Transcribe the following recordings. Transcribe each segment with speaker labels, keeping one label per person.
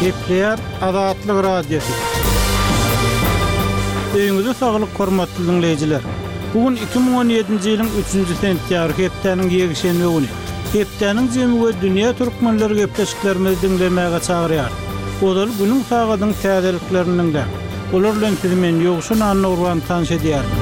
Speaker 1: Gepleýär Azatlyk Radiosy. Öýüňize saglyk hormatly diňleýjiler. Bu gün 2017-nji ýylyň 3-nji sentýabry hepdäniň ýekşenbe güni. Hepdäniň jemi we dünýä türkmenleri gepleşiklerimizi diňlemäge çagyrýar. Ozal günüň sagadyň täzeliklerini diňläň. Olar bilen sizi men Ýowşan Annagurban tanyş edýärin.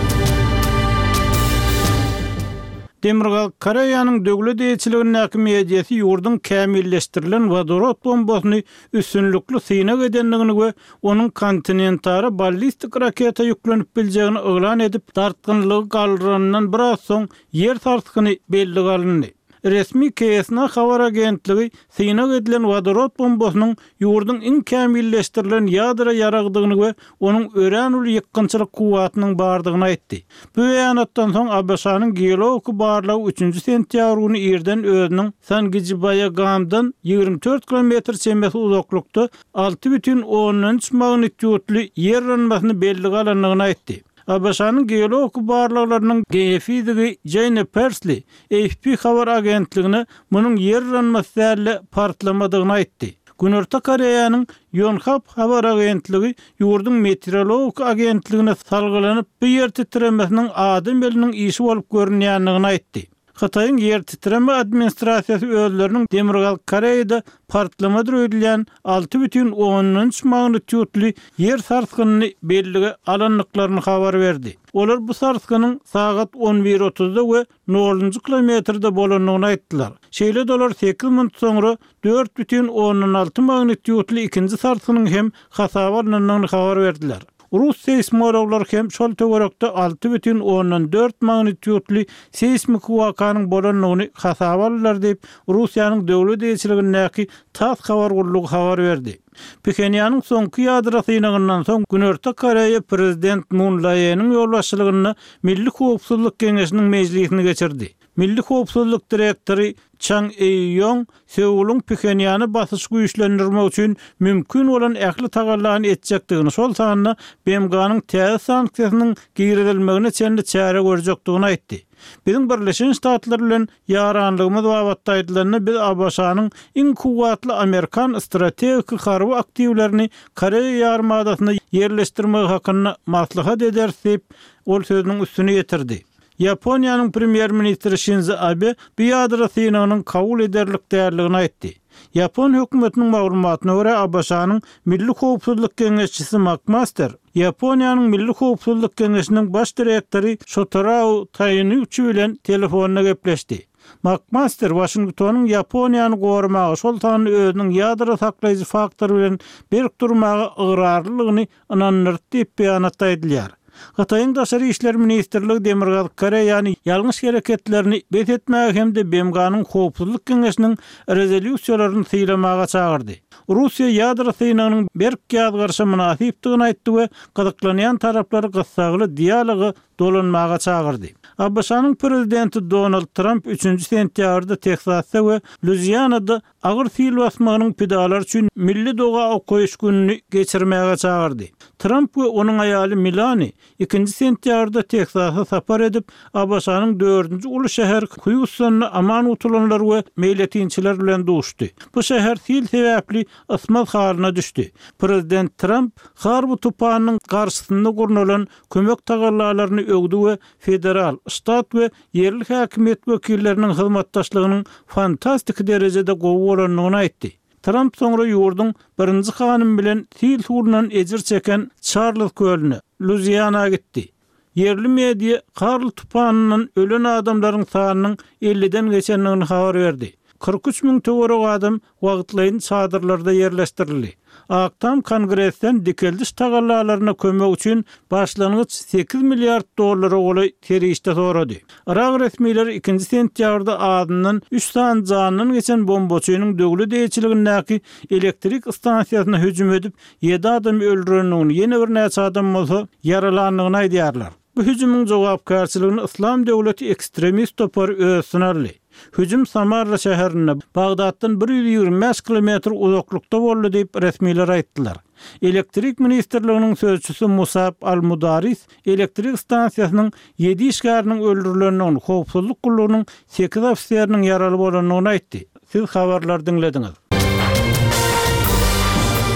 Speaker 1: Demirgazyk Koreýanyň döwlet eýeçiligindäki mediasy ýurduň kämilleşdirilen wodorod bombasyny üstünlikli synag edendigini we onuň kontinentara ballistik raketa ýüklenip biljegini yglan edip, dartgynlygy galdyranyndan biraz soň ýer sarsgyny bellige alyndy. Resmi KSNA habar agentligi synag edilen wodorod bombasynyň ýurduň iň kämilleşdirilen ýadro ýaragydygyny we onuň örän uly ýykgynçylyk kuwwatynyň bardygyny aýtdy. Bu beýanatdan soň ABŞ-nyň geologiki barlagy üçünji sentýabr güni irden özüniň Sangijibaýagamdan 24 kilometr çemesi uzaklykda 6,3 magnitýudly ýer yranmasyny bellige alandygyny aýtdy. ABŞ-nyň geologiki barlaglarynyň geofizigi Jeýne Persli AFP habar agentligine munuň ýer yranmasy däl-de, partlamadygyny aýtdy. Günorta Koreýanyň Ýonhap habar agentligi ýurduň meteorologik agentligine salgylanyp, bu ýer titremesiniň adam eliniň işi bolup görünýändigini aýtdy. Hytaýyň ýer titreme administrasiýasy özleriniň Demirgazyk Koreýada partlamadyr öýdülýän 6,3 magnitýudly ýer sarsgynyny bellige alandyklaryny habar berdi. Olar bu sarsgynyň sagat on bir otuzda we nolunjy kilometrde bolandygyny aýtdylar. Şeýle-de olar sekiz minut soňra 4,6 magnitýudly ikinji sarsgynyň hem hasaba alnandygyny habar berdiler. Rus seýsmologlary hem şol töwerekde 6,4 magnitýudly seýsmiki wakanyň bolandygyny hasaba aldylar diýip, Russiýanyň döwlet eýeçiligindäki tass habar gullugy habar berdi. Phenýanyň soňky ýadro synagyndan soň Günorta Koreýa prezident Mun Laeniň ýolbaşçylygynda Milli howpsuzlyk geňeşiniň mejlisini geçirdi. Milli howpsuzlyk direktory Çang Eý-Ýong Seulyň Phenýana basyşy güýçlendirmek üçin mümkin bolan ähli tagallany etjekdigini, şol sanda BMG-niň täze sanksiýasynyň girizilmegine çenli çäre görjekdigini aýtdy. Biziň Birleşen Ştatlar bilen ýaranlygymyz babatda aýdylanda, biz ABŞ-nyň iň kuwwatly amerikan strategiki harby aktiwlerini Koreýa ýarymadasynda ýerleşdirmegi hakynda maslahat ederis diýip, ol sözüniň üstüni ýetirdi. Ýaponiýanyň premýer-ministri Şinzo Abe bu ýadro synagynyň kabul ederlik däldigini aýtdy. Ýapon hökümetiniň maglumatyna görä, ABŞ-nyň Milli howpsuzlyk geňeşçisi Makmaster Ýaponiýanyň Milli howpsuzlyk geňeşiniň baş direktory Şotarao Taýnuçi bilen telefonda gepleşdi. Makmaster Waşingtonyň Ýaponiýany goramaga, şol sanda özüniň ýadro saklaýjy faktory bilen berk durmaga ygrarlylygyny ynandyrdy diýip, beýanatda aýdylýar. Hytaýyň Daşary işler ministrligi Demirgazyk Koreýany ýalňyş hereketlerini bes etmäge hem-de BMG-niň Howpsuzlyk Geňeşiniň rezolýusiýalaryny sylamaga çagyrdy. Russiýa ýadro synagynyň berk ýazgaryşa mynasypdygyny aýtdy we gyzyklanýan taraplary gyssagly dialoga dolanmaga çagyrdy. ABŞ-nyň prezidenti Donald Tramp üçünji sentýabrda Tehsasda we Luizianada agyr sil basmagynyň pidalary üçin milli doga okaýyş gününi geçirmäge çagyrdy. Tramp we onuň aýaly Melani ikinji sentýabrda Teksasa sapar edip, ABŞ-nyň dördünji uly şäheri Hýustonda aman gutulanlar we meýletinçiler bilen duşdy. Bu şäher sil sebäpli ysmaz halyna düşdi. Prezident Tramp Harwi tupanynyň garşysynda gurnalan kömek tagallalaryny öwdi we federal, ştat we ýerli häkimiýet wekilleriniň hyzmatdaşlygynyň fantastiki derejede gowy bolandygyny aýtdy. Tramp soňra ýurduň birinji hanymy bilen sil suwundan ejir çeken Çarlz kölüne, Luiziana gitdi. Ýerli media Karl tupanyndan ölen adamlaryň sanynyň elliden geçendigini habar berdi. 43 müň töweregi adam wagtlaýyn çadyrlarda ýerleşdirildi. Ak Tam Kongresden dikeldiş tagallalaryna kömek üçin başlangyç sekiz milliard dollara golaý serişde sorady. Yrak resmileri ikinji sentýabrda azyndan üç sany janyndan geçen bombaçynyň döwlet eýeçiligindäki elektrik stansiýasyna hüjüm edip, ýedi adamy öldürendigini, ýene birnäçe adam bolsa ýaralandygyny aýdýarlar. Bu hüjümiň jogapkärçiligini Yslam döwleti ekstremist topary öz üstüne aldy. Hüjüm Samarra şäherinde, Bagdatdan 125 kilometr uzaklykda boldy diýip, resmiler aýtdylar. Elektrik ministrliginiň sözçüsi Musab al-Mudaris elektrik stansiýasynyň ýedi işgäriniň öldürilendigini, howpsuzlyk gullugynyň sekiz ofiseriniň ýaraly bolandygyny aýtdy. Siz habarlary diňlediňiz.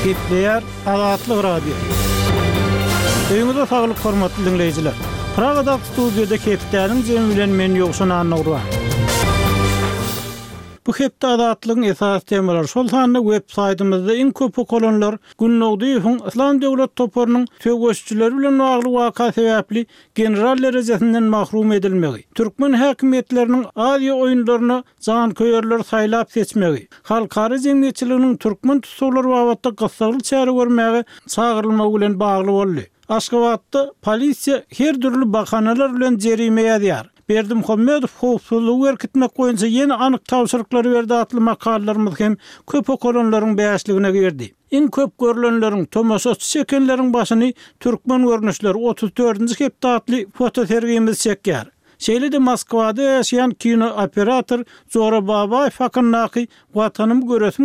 Speaker 1: Gepleýär Azatlyk Radiosy. Öýüňize saglyk hormatly diňleýjiler. Pragadaky studiýada hepdäniň jemi bilen men Ýowşan Annagurban. Bu hepde Azatlygyň esasy temalary, şol sanda web saýtymyzda iň köp okalanlar Gündogdyýewiň Yslam döwlet toparynyň söweşijileri bilen bagly waka sebäpli general derejesinden mahrum edilmegi, türkmen häkimiýetleriniň Aziýa oýunlaryna janköýerleri saýlap-seçmegi, halkara jemgyýetçiliginiň türkmen tussaglary babatda gyssagly çäre görmäge çagyrylmagy bilen bagly boldy. Aşgabatda polisiýa her dürli bahanalar bilen jerime ýazýar. Berdimuhamedow howpsuzlygy berkitmek boýunça ýene anyk tabşyryklary berdi atly makalalarymyz hem köp okalanlaryň bäşligine girdi. Iň köp görlenleriň, tomaşaçy çekenleriň başyny Türkmen görnüşleri, otuz dördünji hepde atly fotosergimiz çekýär. Şeýle-de Moskwada ýaşaýan kino operator Jora Babaýew hakyndaky Watanymy göresim.